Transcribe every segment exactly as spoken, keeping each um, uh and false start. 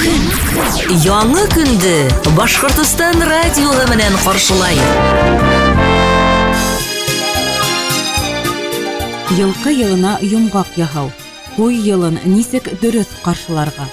Көн. Яңы көндө Башҡортостан радиоһы менән ҡаршылай. Йылҡы йылына йомғаҡ яһау. Ҡуй йылын нисек дөрөҫ ҡаршыларға?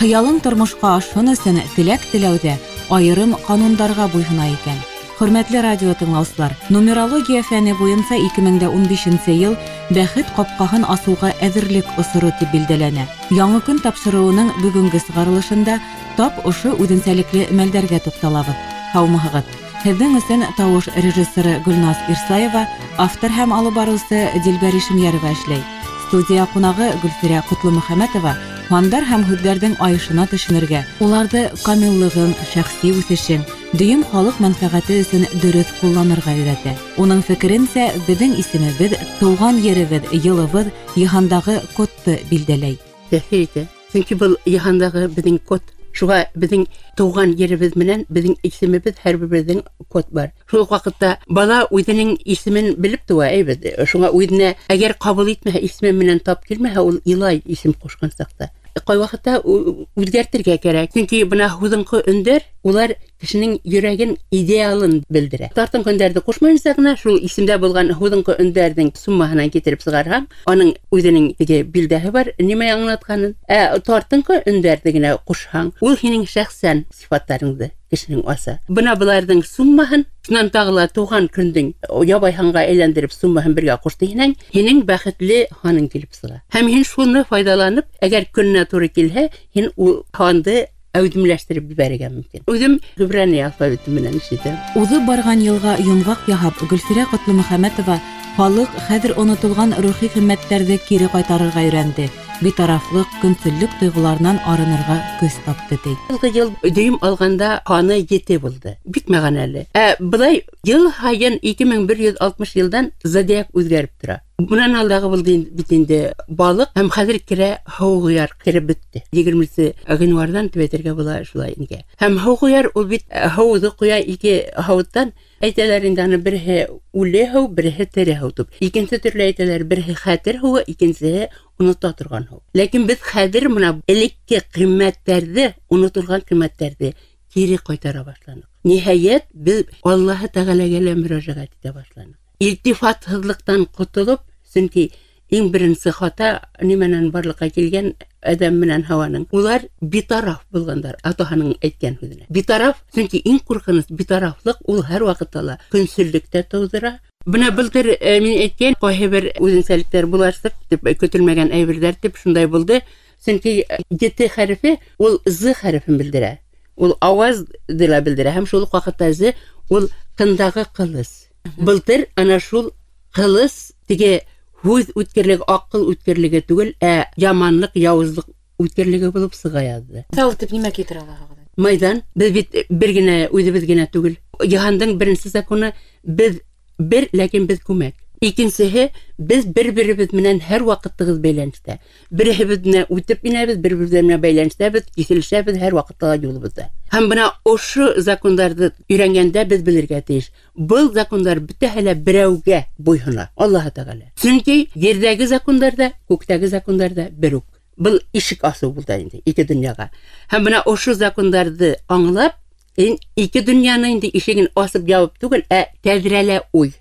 Хыялың тормошҡа ашһын өсөн теләк теләүҙә айырым ҡанундарға буйһона икән. Хөрмәтле радио тыңлаусылар, нумерология фәне буйынса ике мең дә ун бишенсе йыл бәхет ҡапҡаһын асыуға әҙерлек осоро тип билдәләнә. Яңы көн тапшырыуының бөгөнгө сығарылышында тап ошо үҙенсәлекле мәлдәргә туҡталабыҙ. Һаумыһығыҙ! Һеҙҙең өсөн тауыш режиссеры Гөлназ Ирсаева, автор һәм алып барыусы Дилбәр Ишемйәрова эшләй. Студия ҡунағы Гөлфирә Ҡотломөхәмәтова һандар һәм һүҙҙәрҙең айышына төшөнөргә, уларҙы камиллығың, шәхси үҫешең, дөйөм халыҡ мәнфәғәте өсөн дөрөҫ ҡулланырға өйрәтә. Уның фекеренсә, беҙҙең исемебеҙ, тыуған еребеҙ, йылыбыҙ йыһандағы кодты билдәләй. Тәьҫир итә. Сөнки был йыһандағы беҙҙең код. Шуға беҙҙең тыуған еребеҙ менән беҙҙең исемебеҙ һәр беребеҙҙең код бар. Шул уҡ ваҡытта бала үҙенең исемен белеп тыуа, әйбәт. Шуңа үҙенә әгәр ҡабул итмәһә, исеме менән тап килмәһә, ул илай исем ҡушҡан саҡта. Ҡай ваҡытта ү-, үҙгәртергә кәрәк. Сөнки бына һүҙеңҡы өндәр, улар кешенең йөрәген, идеалын белдерә. Тартынҡы өндәрҙе ҡушмайынса ғына шул исемдә булған һүҙеңҡы өндәрҙең суммаһынан китереп сығарһаң, аның үҙенең теге билдәһе бар, нимә аңлатҡанын. Ә тартынҡы өндәрҙе генә ҡушһаң, ул һинең шәхсән сифаттарыңды кешенең аса. Бына быларҙың суммаһын, шунан тағы ла тыуған көндөң ябай һанға әйләндереп суммаһын бергә ҡушты һинең, һинең бәхетле һаның килеп сыға. Һәм һин шуны файҙаланып, әгәр көнөнә тура килһә, һин ул һанды әүҙемләштереп ебәрергә мөмкин. Үҙем ғибрани алфавиты менән эш итәм. Уҙып барған йылға йомғаҡ яһап, Гөлфирә Ҡотломөхәмәтова халыҡ хәҙер онотолған рухи ҡиммәттәрҙе кире ҡайтарырға өйрәнде. Битарафлыҡ, көнсөллөк тойғоларынан арынырға көс тапты, ти. Йылғы йыл дөйөм алғанда һаны ете булды. Бик мәғәнәле. Ә былай йыл һайын ике мең бер йөҙ алтмыш йылдан зодиак үҙгәреп тора. Бынан алдағы булды инде, бит инде балыҡ һәм хәҙер керә һыуғыяр кереп бөттө. Егерменсе ғинуарҙан тип әйтергә була шулай инде. Һәм һыуғыяр ул бит һыуҙы ҡоя ике һауыттан. Әйтәләр инде аны береһе үле һыу, береһе тере һыу тип. Икенсе төрлө әйтәләр, береһе хәтер һыуы, икенсеһе онота торған һыу. Ләкин беҙ хәҙер бына элекке ҡиммәттәрҙе, онотолған ҡиммәттәрҙе кире ҡайтара башланыҡ. Ниһайәт, беҙ Аллаһы Тәғәләгә лә мөрәжәғәт итә башланыҡ. Илтифатһыҙлыҡтан ҡотолоп, сөнки иң беренсе хата нимәнән барлыҡҡа килгән Әҙәм менән Һауаның. Улар битараф булғандар, атаһының әйткән һүҙенә. Битараф, сөнки иң ҡурҡыныс битарафлыҡ ул һәр ваҡытта ла көнсөллөктә тыуҙыра. Бына былтыр, э, мин әйткән ҡайһы бер үҙенсәлектәр буларсыҡ тип, көтөлмәгән әйберҙәр тип шундай булды. Сөнки ете хәрефе ул з хәрефен белдерә. Ул ауазды ла белдерә һәм шул уҡ ваҡытта з ул ҡындағы ҡылыс. Мгм. Былтыр ана шул ҡылыс теге һүҙ үткерлеге, аҡыл үткерлеге түгел, ә яманлыҡ, яуызлыҡ үткерлеге булып сыға яҙҙы. Миҫал итеп нимә килтерә алаһығыҙ? Майҙан, беҙ бит бер генә, үҙебеҙ генә түгел. Йыһандың беренсе законы беҙ бер, ләкин беҙ күмәк. Икенсеһе, беҙ бер-беребеҙ менән һәр ваҡыт тығыҙ бәйләнештә. Береһебеҙ менән үтеп инәбеҙ, бер-беребеҙ менән бәйләнештәбеҙ, киҫелешәбеҙ һәр ваҡытта ла юлыбыҙҙа. Һәм бына ошо закондарҙы өйрәнгәндә беҙ белергә тейеш. Был закондар бөтәһе лә берәүгә буйһона, Аллаһы Тәғәлә. Сөнки ерҙәге закондар ҙа, күктәге закондар ҙа бер үк. Был ишек асыу булды инде ике донъяға. Һәм бына ошо закондарҙы аңлап, ин-, ике донъяны инде ишеген асып ябып түгел, ә тәҙрәлә уй.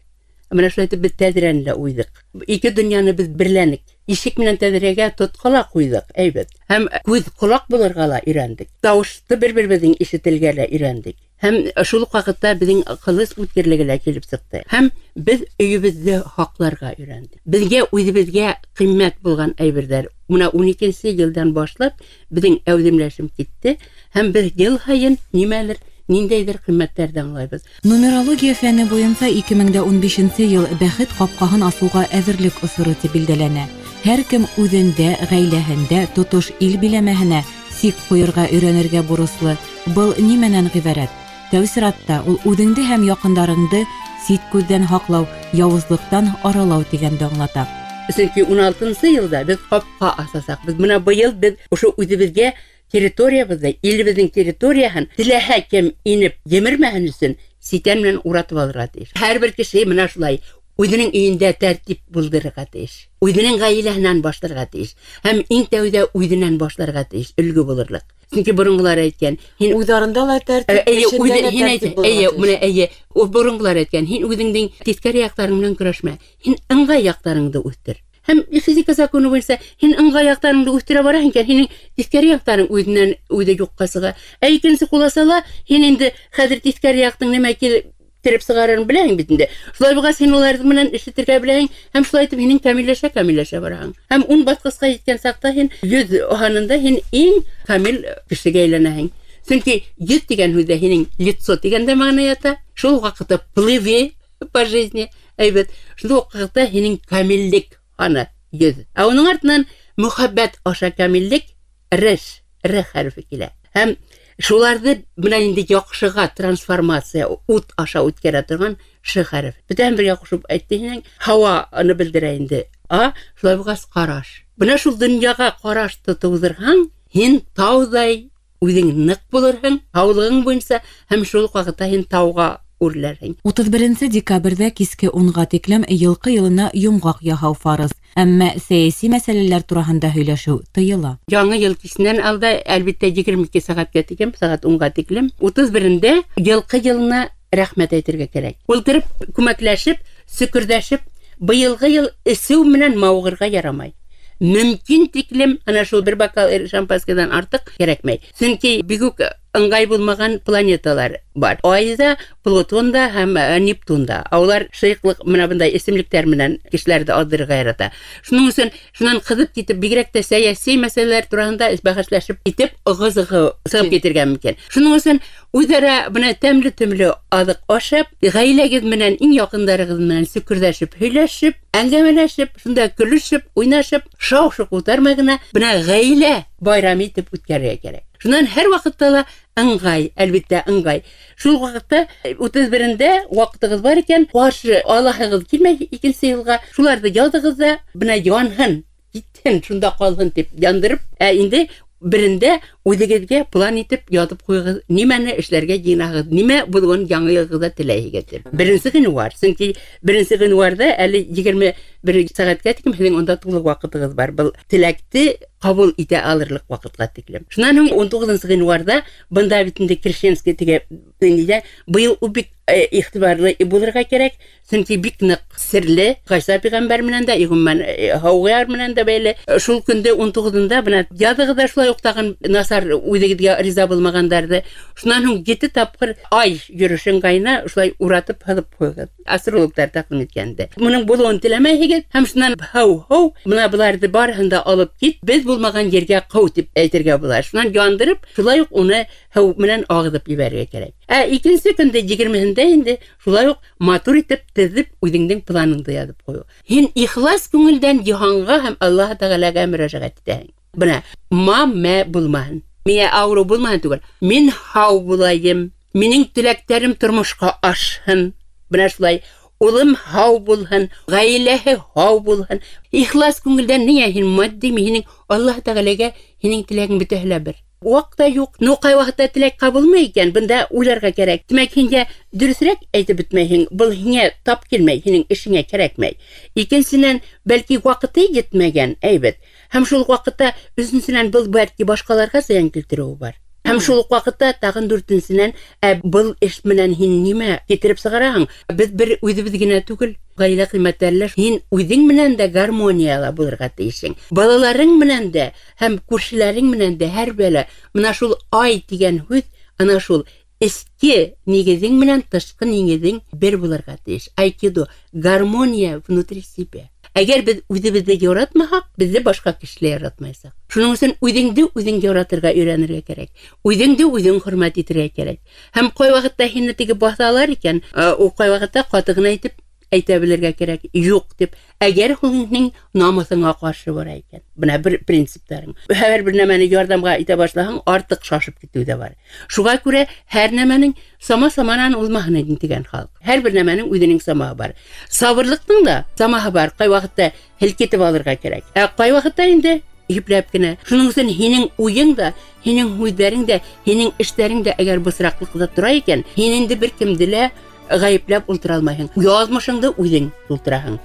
Бына шулай итеп беҙ тәҙрәне лә уйҙыҡ. Ике донъяны беҙ берләнек. Ишек менән тәҙрәгә тотҡа ла ҡуйҙыҡ, әйбәт. Һәм күҙ ҡолаҡ булырға ла өйрәндек. Тауышты бер-беребеҙҙең ишетелгә лә өйрәндек. Һәм шул уҡ ваҡытта беҙҙең ҡылыс үткерлеге лә килеп сыҡты. Һәм беҙ өйөбөҙҙө һаҡларға өйрәндек. Беҙгә үҙебеҙгә ҡиммәт булған әйберҙәр. Бына ун икенсе йылдан башлап беҙҙең әүҙемләшем китте. Һәм беҙ йыл һайын нимәлер, ниндәйҙер ҡиммәттәрҙе аңлайбыҙ. Нумерология фәне буйынса ике мең дә ун бишенсе йыл бәхет ҡапҡаһын асыуға әҙерлек осоро тип билдәләнә. Һәр кем үҙендә, ғаиләһендә, тотош ил биләмәһенә сик ҡуйырға өйрәнергә бурыслы. Был нимәнән ғибәрәт? Тәү сиратта ул үҙеңде һәм яҡындарыңды сит күҙҙән һаҡлау, яуызлыҡтан аралау тигәнде аңлата. Сөнки ун алтынсы йылда беҙ ҡапҡа асасаҡбыҙ. Бына быйыл беҙ ошо үҙебеҙгә территориябыҙҙы, илебеҙҙең территорияһын теләһә кем инеп емермәһен өсөн ситән менән уратып алырға тейеш. Һәр бер кеше бына шулай Үҙенең өйөндә тәртип булдырырға тейеш. Үҙенең ғаиләһенән башларға тейеш. Һәм иң тәүҙә үҙенән башларға тейеш, өлгө булырлыҡ. Сөнки боронғолар әйткән, һин уйҙарында ла тәртип, эшендә лә тәртип булырға тейеш. Эйе, менә эйе, боронғолар әйткән, һин үҙеңдең тиҫкәре яҡтарың менән көрәшмә, һин ыңғай яҡтарыңды үҫтер. Һәм физика законы буйынса һин ыңғай яҡтарыңды үҫтерә бараһың икән, һинең тиҫкәре яҡтарың үҙенән үҙе юҡҡа сыға. Ә икенсе ҡуласала һин инде хәҙер тиҫкәре яҡтың нимә килтереп сығарырын беләһең бит инде. Шулай булғас һин уларҙы менән эш итергә беләһең, һәм шулай итеп һинең камилләшә, камилләшә бараһың. Һәм ун баҫҡысҡа еткән саҡта һин йөҙ һанында һин иң камил кешегә әйләнәһең. Сөнки йөҙ тигән һүҙҙә һинең лицо тигән дә мәғәнә ята. Шул ваҡытта плыви по жизни, әйбәт. Шул ваҡытта һинең камиллек һаны йөҙ. Ә уның артынан мөхәббәт аша камиллек реш, р хәрефе килә. Һәм шуларҙы менән инде яҡшыға трансформация ут аша үткәрә торған ш хәреф. Бөтәһен бергә ҡушып әйтте һинең һауаны белдерә инде. А шулай булғас ҡараш. Бына шул донъяға ҡарашты тыуҙырһаң, һин тауҙай үҙең ныҡ булырһың, һаулығың буйынса, һәм шул уҡ ваҡытта һин тауға үрләрһең. Утыҙ беренсе декабрҙә киске унға тиклем йылҡы йылына йомғаҡ яһау фарыз. Әммә сәйәси мәсьәләләр тураһында һөйләшеү тыйыла. Яңы йыл кисенән алда, әлбиттә, егерме ике сәғәткә тиклем, сәғәт унға тиклем, утыҙ берендә йылҡы йылына рәхмәт әйтергә кәрәк. Ултырып, күмәкләшеп, сөкөрҙәшеп, быйылғы йыл эсеү менән мауығырға ярамай. Мөмкин тиклем ана шул бер бокал шампанскийҙан артыҡ кәрәкмәй. Сөнки бик үк ыңғай булмаған планеталар бар. Ай ҙа, Плутон да һәм Нептун да. Улар шыйыҡлыҡ менән бындай эсемлектәр менән кешеләрҙе аҙҙырырға ярата. Шуның өсөн шунан ҡыҙып китеп, бигерәк тә сәйәси мәсьәләләр тураһында бәхәсләшеп китеп, ығы-зығы сығып китергә мөмкин. Шуның өсөн үҙара бына тәмле-төмлө аҙыҡ ашап, ғаиләгеҙ менән, иң яҡындарығыҙ менән сөкөрҙәшеп, һөйләшеп, әңгәмәләшеп, шунда көлөшөп, уйнашып, шау-шу ҡутармай ғына бына ғаилә байрам итеп үткәрергә кәрәк. Шунан һәр ваҡытта ла ыңғай, әлбиттә, ыңғай. Шул ваҡытта утыҙ берендә ваҡытығыҙ бар икән, ҡаршы алаһығыҙ килмәй икенсе йылға, шуларҙы яҙығыҙ ҙа, бына янһын, китһен, шунда ҡалһын тип яндырып, ә инде берендә үҙегеҙгә план итеп яҙып ҡуйығыҙ, нимәне эшләргә йыйынаһығыҙ, нимә булыуын яңы йылғыҙҙа теләйһегеҙ тип. Беренсе ғинуар, сөнки беренсе ғинуарҙа әле егерме бер сәғәткә тиклем һеҙҙең унда тулы ваҡытығыҙ бар. Был теләкте ҡабул итә алырлыҡ ваҡытҡа тиклем. Шунан һуң ун туғыҙынсы ғинуарҙа бында бит инде Крещенский тигән динидә быйыл ул бик, э, иғтибарлы булырға кәрәк, сөнки бик ныҡ серле Ғайса пәйғәмбәр менән дә, ғөмүмән, э, һауғыяр менән дә бәйле. Шул көндө ун туғыҙында бына яҙығыҙ ҙа шулай уҡ тағын насар үҙегеҙгә риза булмағандарҙы. Шунан һуң ете тапҡыр ай йөрөшөн ҡайна шулай уратып һыҙып ҡуйығыҙ. Астрологтар тәҡдим иткәнде. Моның булыуын теләмәйһегеҙ һәм шунан һау-һау бына быларҙы барыһын да алып кит, беҙ булмаған ергә ҡыу тип әйтергә була. Шунан яндырып, шулай уҡ уны һыу менән ағыҙып ебәрергә кәрәк. Ә икенсе көндә егермеһендә инде шулай уҡ матур итеп теҙеп үҙеңдең планыңды яҙып ҡуйыу. Һин ихлас күңелдән йыһанға һәм Аллаһ Тәғәләгә мөрәжәғәт итәһең. Бына мамә булмаһын, миңә ауырыу булмаһын түгел, мин һау булайым, минең теләктәрем тормошҡа ашһын. Бына шулай улым һау булһын, ғаиләһе һау булһын. Ихлас күңелдән ниңә һин матди, һинең Аллаһ Тәғәләгә һинең теләгең бөтәһе лә бер. Ваҡыт та юҡ. Ну, ҡай ваҡытта теләк ҡабылмай икән, бында уйларға кәрәк. Тимәк, һин дә дөрөҫөрәк әйтеп бөтмәйһең, был һиңә тап килмәй, һинең эшеңә кәрәкмәй. Икенсенән, бәлки ваҡыты етмәгән, әйбәт. Һәм шул уҡ ваҡытта, өсөнсөнән, был бәлки башҡаларға зыян килтереүе бар. Һәм шул уҡ ваҡытта тағын дүртенсенән, ә был эш менән һин нимә китереп сығараһың? Беҙ бер үҙебеҙ генә түгел, ғаилә ҡиммәттәре лә. Һин үҙең менән дә гармонияла булырға тейешһең. Балаларың менән дә һәм күршеләрең менән дә һәр бәлә. Бына шул ай тигән һүҙ, ана шул эске нигеҙең менән тышҡы нигеҙең бер булырға тейеш. Айкидо, гармония внутри себя. Әгәр беҙ үҙебеҙҙе яратмаһаҡ, беҙҙе башҡа кешеләр яратмаясаҡ. Шуның өсөн үҙеңде үҙең яратырға өйрәнергә кәрәк. Үҙеңде үҙең хөрмәт итергә кәрәк. Һәм ҡай ваҡытта һине теге баҫалар икән, ә, ул ҡай ваҡытта ҡаты ғына итеп әйтә белергә кәрәк, юҡ тип. Әгәр һинең намыҫыңа ҡаршы бара икән. Бына бер принциптарың. Һәр бер нәмәне ярҙамға итә башлаһаң, артыҡ шашып китеү ҙә бар. Шуға күрә һәр нәмәнең сама саманан улмаһын тигән халыҡ. Һәр бер нәмәнең үҙенең самаһы бар. Сабырлыҡтың да самаһы бар. Ҡай ваҡытта һелкетеп алырға кәрәк. Ә ҡай ваҡытта инде ипләп кенә. Шуның өсөн һинең уйың да, һинең һүҙҙәрең дә, һинең эштәрең дә әгәр бысраҡлыҡта тора икән, һин инде бер кемде лә ғәйепләп ултыра алмайһың. Яҙмышыңды үҙең тултыраһың.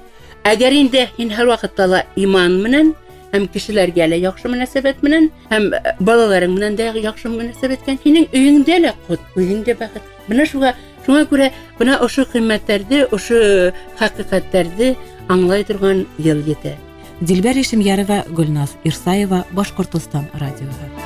Әгәр инде һин һәр ваҡытта ла иман менән һәм кешеләргә лә яҡшы мөнәсәбәт менән һәм балаларың менән дә яҡшы мөнәсәбәткән, һинең өйөңдә лә ҡот, үҙең дә бәхет. Бына шуға, шуңа күрә бына ошо ҡиммәттәрҙе, ошо хәҡиҡәттәрҙе аңлай торған йыл етә. Дилбәр Ишемйәрова, Гөлназ Ирсаева, Башҡортостан радиоһы.